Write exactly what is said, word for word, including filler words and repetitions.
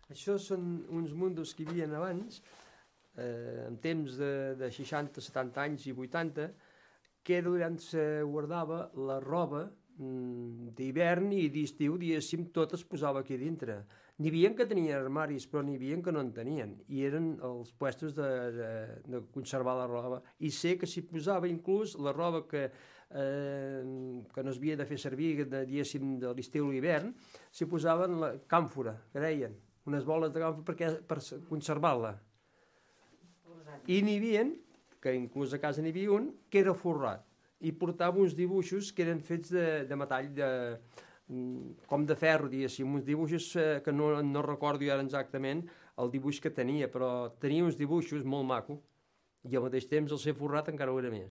Això són uns mundos que hi havia abans, eh, en temps de, de seixanta, setanta anys i vuitanta, que era on se guardava la roba mm, d'hivern i d'estiu, diguéssim, tot es posava aquí dintre. N'hi havia que tenien armaris, però n'hi havia que no en tenien, i eren els puestos de, de, de conservar la roba. I sé que s'hi posava inclús la roba que, eh, que no s'havia de fer servir, de, diguéssim, de l'estiu i l'hivern, s'hi posaven la càmfora, que deien, unes boles de càmfora perquè, per conservar-la. I n'hi havia, que inclús a casa n'hi havia un, que era forrat, i portava uns dibuixos que eren fets de, de metall, de, com de ferro, diguéssim, uns dibuixos eh, que no, no recordo ara exactament el dibuix que tenia, però tenia uns dibuixos molt maco, i al mateix temps el ser forrat encara ho era més.